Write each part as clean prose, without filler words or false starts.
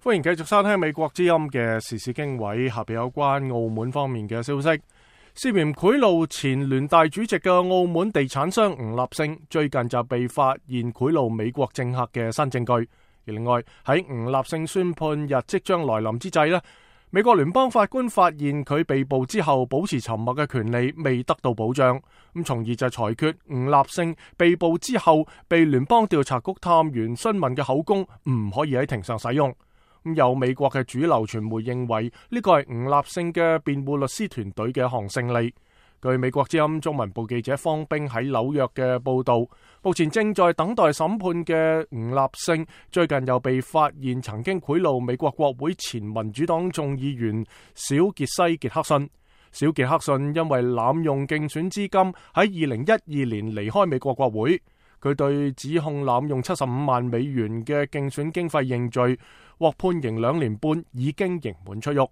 歡迎繼續收聽美國之音嘅時事經緯，下邊有關澳門方面嘅消息。涉嫌賄賂前聯大主席嘅澳門地產商吳立勝，最近就被發現賄賂美國政客嘅新證據。而另外喺吳立勝宣判日即將來臨之際呢，美國聯邦法官發現佢被捕之後保持沉默嘅權利未得到保障，咁從而就裁決吳立勝被捕之後被聯邦調查局探員詢問嘅口供唔可以喺庭上使用。有美國嘅主流傳媒認為呢個係吳立勝嘅辯護律師團隊嘅一項勝利。據美國之音中文部記者方冰喺紐約嘅報道，目前正在等待審判嘅吳立勝最近又被發現曾經賄賂美國國會前民主黨眾議員小傑西傑克遜。小傑克遜因為濫用競選資金喺2012年離開美國國會，佢對指控濫用75萬美元嘅競選經費認罪，獲判刑2年半，已經刑滿出獄。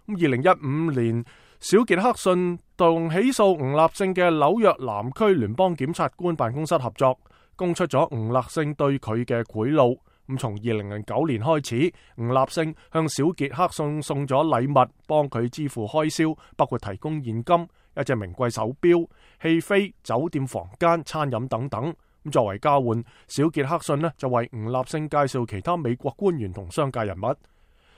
2015年，小傑克遜同起訴吳立勝嘅紐約南區聯邦檢察官辦公室合作，供出咗吳立勝對佢嘅賄賂。從2009年開始，吳立勝向小傑克遜送咗禮物，幫佢支付開銷，包括提供現金、一隻名貴手錶、戲飛、酒店房間、餐飲等等。作為交換，小傑克遜就為吳立勝介紹其他美國官員同商界人物。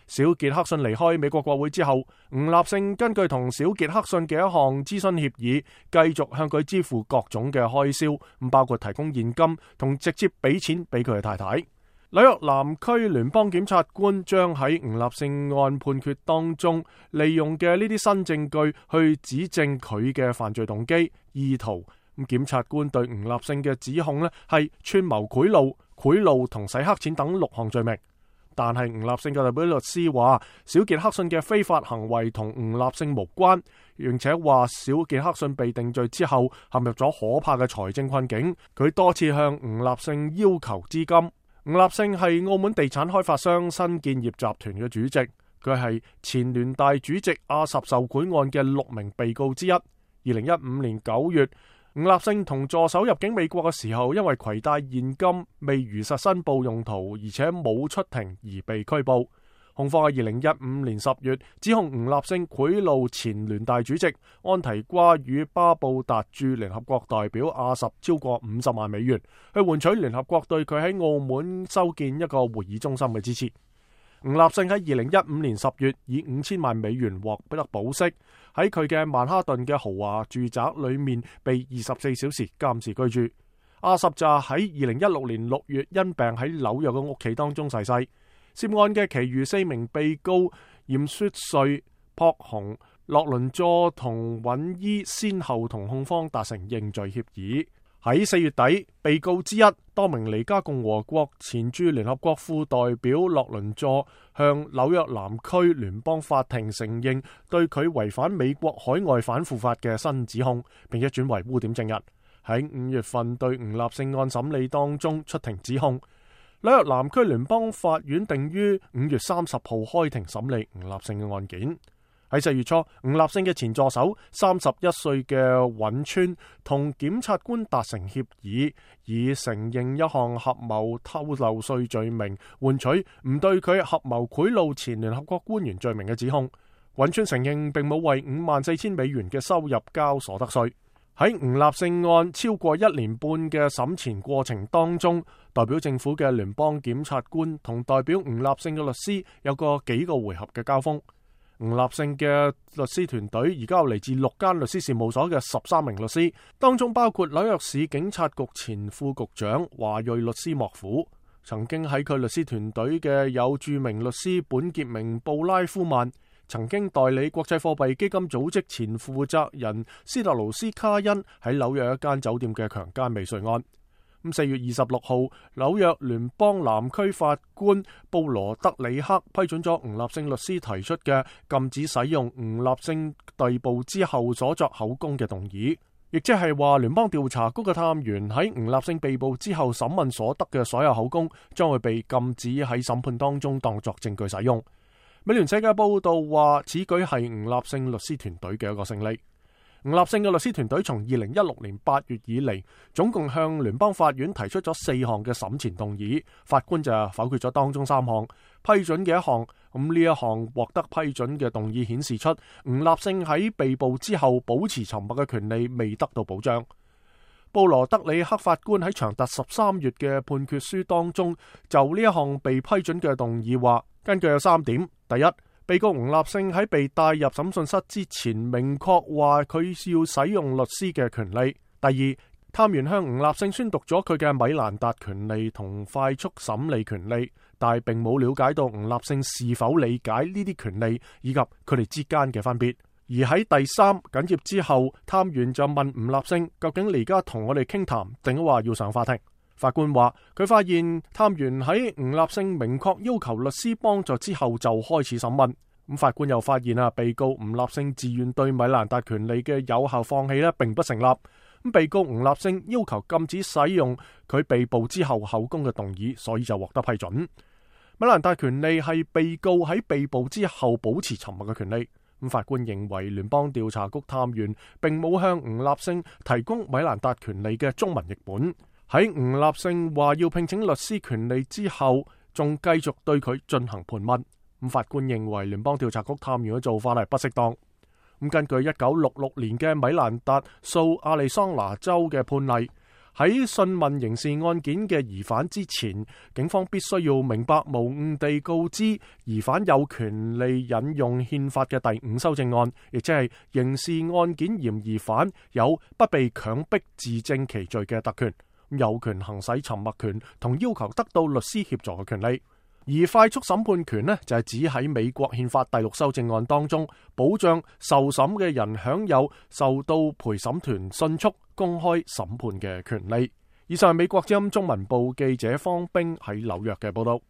小傑克遜離開美國國會之後，吳立勝根據同小傑克遜嘅一項諮詢協議，繼續向佢支付各種嘅開銷，包括提供現金同直接俾錢俾佢嘅太太。紐約南區聯邦檢察官將喺吳立勝案判決當中利用嘅呢啲新證據去指證佢嘅犯罪動機、意圖。檢察官對吳立勝嘅指控係串謀賄賂同洗黑錢等6項罪名。但係吳立勝嘅代表律師話，小傑克遜嘅非法行為同吳立勝無關，並且話小傑克遜被定罪之後陷入咗可怕嘅財政困境。佢多次向吳立勝要求資金。吳立勝係澳門地產開發商新建業集團嘅主席，佢係前聯大主席阿什受賄案嘅6名被告之一。2015年9月，吳立勝同助手入境美國嘅時候，因為攜帶現金未如實申報用途，而且冇出庭而被拘捕。控方喺2015年10月指控吳立勝賄賂前聯大主席安提瓜與巴布達駐聯合國代表阿什超過50萬美元，去換取聯合國對佢喺澳門修建一個會議中心嘅支持。吳立勝喺2015年10月以5000萬美元獲得保釋，喺佢嘅曼哈頓嘅豪華住宅裏面被24小時監視居住。阿什就喺2016年6月因病喺紐約嘅屋企當中逝世。涉案嘅其餘4名被告嚴雪瑞、朴雄、洛倫佐同尹伊先後同控方達成認罪協議。喺4月底，被告之一多名尼加共和國前駐聯合國副代表洛倫佐向紐約南區聯邦法庭承認對佢違反美國海外反腐法嘅新指控，並且轉為污點證人。喺5月份對吳立勝案審理當中出庭指控。紐約南區聯邦法院定於5月30號開庭審理吳立勝嘅案件。喺4月初，吳立勝嘅前助手31歲嘅尹川同檢察官達成協議，以承認一項合謀偷漏稅罪名，換取唔對佢合謀賄賂前聯合國官員罪名嘅指控。尹川承認並冇為54,000美元嘅收入交所得稅。喺吳立勝案超過1年半嘅審前過程當中，代表政府嘅聯邦檢察官同代表吳立勝嘅律師有幾個回合嘅交鋒。吳立勝嘅律師團隊而家有嚟自6間律師事務所嘅13名律師，當中包括紐約市警察局前副局長華裔律師莫夫。曾經喺佢律師團隊嘅有著名律師本傑明布拉夫曼，曾經代理國際貨幣基金組織前負責人斯特勞斯卡恩喺紐約一間酒店嘅強姦未遂案。4月26號，紐約聯邦南區法官布羅德里克批准咗吳立勝律師提出嘅禁止使用吳立勝逮捕之後所作口供嘅動議，亦即係話聯邦調查局嘅探員喺吳立勝被捕之後審問所得嘅所有口供將會被禁止喺審判當中當作證據使用。美聯社嘅報道話，此舉係吳立勝律師團隊嘅一個勝利。吳立勝嘅律師團隊從2016年8月以嚟，總共向聯邦法院提出咗4項嘅審前動議，法官就否決咗當中3項，批准嘅1項。咁呢一項獲得批准嘅動議顯示出吳立勝喺被捕之後保持沉默嘅權利未得到保障。布羅德里克法官喺長達13月嘅判決書當中，就呢一項被批准嘅動議話，根據有3點：第一，被告吳立勝喺被帶入審訊室之前，明確話佢要使用律師嘅權利；第二，探員向吳立勝宣讀咗佢嘅米蘭達權利同快速審理權利，但係並冇了解到吳立勝是否理解呢啲權利以及佢哋之間嘅分別。而喺第3緊接之後，探員就問吳立勝，究竟你而家同我哋傾談，定話要上法庭？法官話佢發現探員喺吳立勝明確要求律師幫助之後就開始審問。咁法官又發現被告吳立勝自願對米蘭達權利嘅有效放棄並不成立。咁被告吳立勝要求禁止使用佢被捕之後口供嘅動議，所以就獲得批准。米蘭達權利係被告喺被捕之後保持沉默嘅權利。咁法官認為聯邦調查局探員並冇向吳立勝提供米蘭達權利嘅中文譯本。喺吳立勝話要聘請律師權利之後，仲繼續對佢進行盤問。咁法官認為聯邦調查局探員嘅做法係不適當。咁根據1966年嘅米蘭達訴亞利桑那州嘅判例，喺訊問刑事案件嘅疑犯之前，警方必須要明白無誤地告知疑犯有權利引用憲法嘅第5修正案，亦即係刑事案件嫌疑犯有不被強迫自證其罪嘅特權，有權行使沉默權同要求得到律師協助嘅權利。而快速審判權呢，就係指喺美國憲法第6修正案當中，保障受審嘅人享有受到陪審團迅速公開審判嘅權利。以上係美國之音中文部記者方冰喺紐約嘅報道。